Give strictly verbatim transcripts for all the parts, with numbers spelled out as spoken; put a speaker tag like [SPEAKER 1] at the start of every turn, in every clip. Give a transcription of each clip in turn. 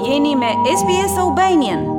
[SPEAKER 1] Jeni me S B S Albanian.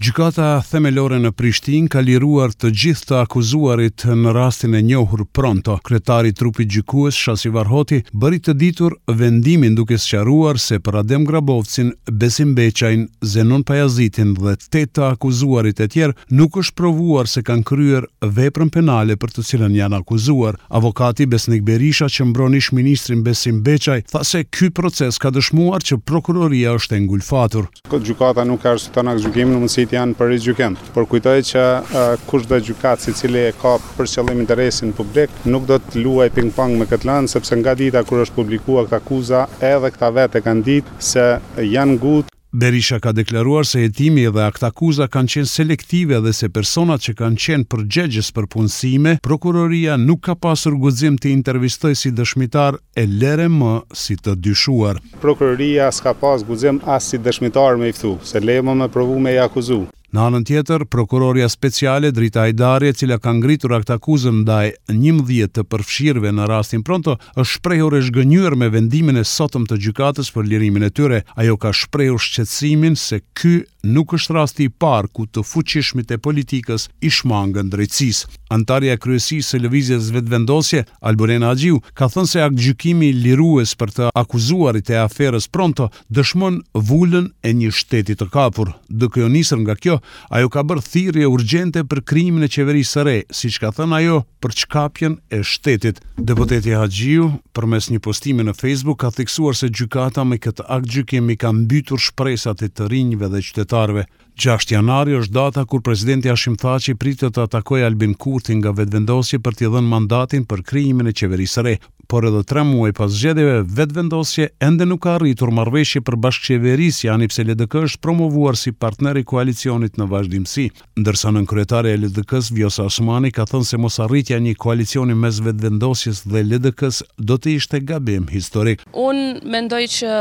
[SPEAKER 2] Gjykata Themelore në Prishtinë ka liruar të gjithë të akuzuarit në rastin e njohur Pronto. Kryetari i trupit gjykues Shasivar Hoti bëri të ditur vendimin, duke sqaruar se për Adem Grabovcin, Besim Beqajn, Zenon Pajazitin dhe tetë të akuzuarit e tjerë nuk është provuar se kanë kryer veprën penale për të cilën janë akuzuar. Avokati Besnik Berisha, që mbron ish ministrin Besim Beqaj, tha se ky proces ka dëshmuar që prokuroria është e ngulfatur.
[SPEAKER 3] Gjykata nuk ka arsyeton aktgjykimin, mundësitë janë për rigjykim. Por kujtoj që uh, kush do gjykat i cili e ka për qëllim interesin publik, nuk do të luaj ping-pong me këtë lëndë, sepse nga dita kur është publikuar këtë akuza, edhe këta vetë e kanë ditë se janë ngut.
[SPEAKER 2] Berisha ka deklaruar se hetimi dhe aktakuza kanë qenë selektive dhe se personat që kanë qenë përgjegjës për punësime, prokuroria nuk ka pasur guxim të intervistoj si dëshmitar, e lere më si të dyshuar.
[SPEAKER 3] Prokuroria s'ka pas guxim as si dëshmitar me i ftu, se le më me provu me i akuzu.
[SPEAKER 2] Në anën tjetër, prokuroria speciale Drita Ajdari, e cila ka ngritur aktakuzën ndaj njëmbëdhjetë të përfshirëve në rastin Pronto, është shprehur e zhgënjyer me vendimin e sotëm të gjykatës për lirimin e tyre. Ajo ka shprehur shqetësimin se ky nuk është rasti i parë ku të fuqishmit e politikës i shmangën drejtësisë. Antarja e kryesisë së Lëvizjes Vetëvendosje, Albulena Haxhiu, ka thënë se aktgjykimi lirues për të akuzuarit e aferës Pronto dëshmon vulën e një shteti të kapur. Duke u nisur nga kjo, ajo ka bërë thirrje urgjente për krijimin e qeverisë së re, siç ka thënë ajo, për çkapjen e shtetit. Deputeti Haxhiu, përmes një postimi në Facebook, ka theksuar se gjykata me këtë aktgjykim i ka mbytur shpresat e të rinjve dhe qytetarëve. gjashtë janari është data kur presidenti Hashim Thaçi pritet të atakojë Albin Kurtin nga Vetëvendosje për t'i dhënë mandatin për krijimin e qeverisë së re. Por edhe tre muaj pas zgjedhjeve, Vetëvendosje ende nuk ka arritur marrëveshje për bashkëqeverisje, ani pse L D K është promovuar si partner i koalicionit në vazhdimësi. Ndërsa nënkryetare e L D K-s Vjosa Osmani ka thënë se mos arritja e një koalicioni mes Vetëvendosjes dhe L D K-s do të ishte gabim historik.
[SPEAKER 4] Unë mendoj që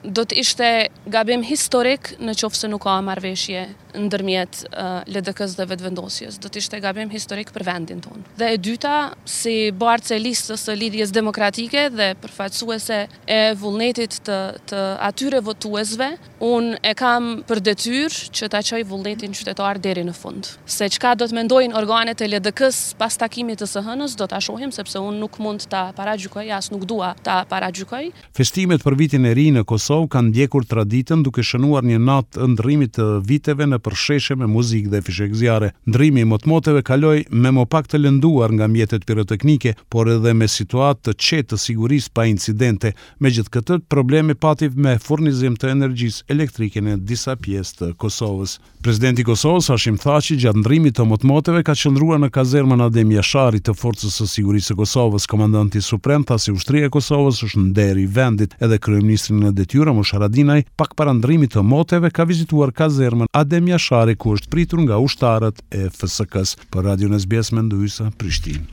[SPEAKER 4] do të ishte gabim historik në qoftë se nuk ka marrëveshje ndërmjet uh, L D K-s dhe Vetëvendosjes. Do të ishte gabim historik për vendin tonë. Dhe e dyta, si bartëse e listës së Lidhjes Demokratike dhe përfaqësuese e vullnetit të, të atyre votuesve, unë e kam për detyrë që ta çoj vullnetin qytetar deri në fund. Se çka do të mendojnë organet e L D K-s pas takimit të së hënës, do ta shohim, sepse unë nuk mund ta paragjykoj, as nuk dua ta paragjykoj.
[SPEAKER 2] Festimet për vitin e ri në Kosovë kanë ndjekur traditën, duke shënuar një natë të ndërrimit të viteve nëpër sheshe me muzikë dhe fishekzjarre. Ndërrimi i motmoteve kaloi me më pak të lënduar nga mjetet piroteknike, por edhe me situatë të qetë të sigurisë, pa incidente. Megjithëkëtë, probleme pati me furnizim të energjisë elektrike në disa pjesë të Kosovës. Presidenti i Kosovës, Hashim Thaçi, gjatë ndërrimit të motmoteve ka qëndruar në kazermën Adem Jashari të Forcës së Sigurisë së Kosovës. Komandanti suprem tha se ushtria e Kosovës është nderi i vendit. Edhe kryeministri në detyrë Ramush Haradinaj, pak para ndërrimit të moteve, ka vizituar kazermën Adem Jashari, ku është pritur nga ushtarët e F S K-s. Për Radion S B S, Mendu Hysa, Prishtinë.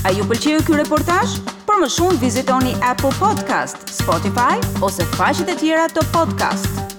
[SPEAKER 1] A ju pëlqeu ky reportazh? Për më shumë vizitoni Apple Podcast, Spotify ose faqet e tjera të podcast.